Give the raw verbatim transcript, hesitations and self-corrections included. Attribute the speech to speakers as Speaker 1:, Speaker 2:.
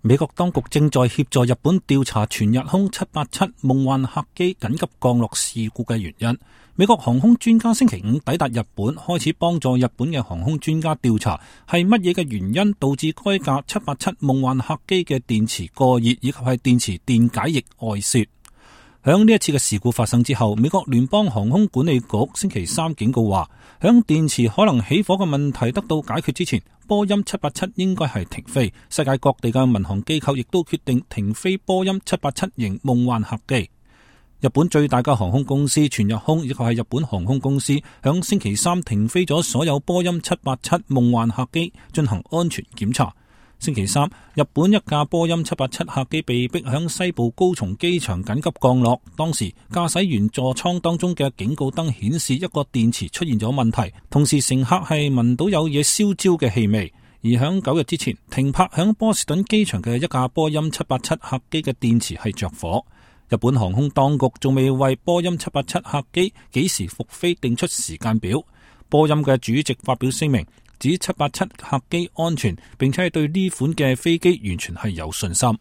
Speaker 1: 美國當局正在協助日本調查全日空七八七夢幻客機緊急降落事故嘅原因。美國航空專家星期五抵達日本，開始幫助日本嘅航空專家調查係乜嘢嘅原因導致該架七八七夢幻客機嘅電池過熱，以及係電池電解液外泄。響呢一次嘅事故發生之後，美國聯邦航空管理局星期三警告話，響電池可能起火嘅問題得到解決之前，波音七八七應該係停飛。世界各地嘅民航機構亦都決定停飛波音七八七型夢幻客機。日本最大嘅航空公司全日空，亦即係日本航空公司，響星期三停飛咗所有波音七八七夢幻客機進行安全檢查。星期三，日本一架波音七八七客機被迫響西部高松機場緊急降落，當時駕駛員座艙當中嘅警告燈顯示一個電池出現咗問題，同時乘客係聞到有嘢燒焦嘅氣味。而響九日之前停泊響波士頓機場嘅一架波音七八七客機嘅電池係着火。日本航空當局仲未為波音七八七客機幾時復飛定出時間表。波音嘅主席發表聲明，指七八七客機安全，並且係對呢款嘅飛機完全係有信心。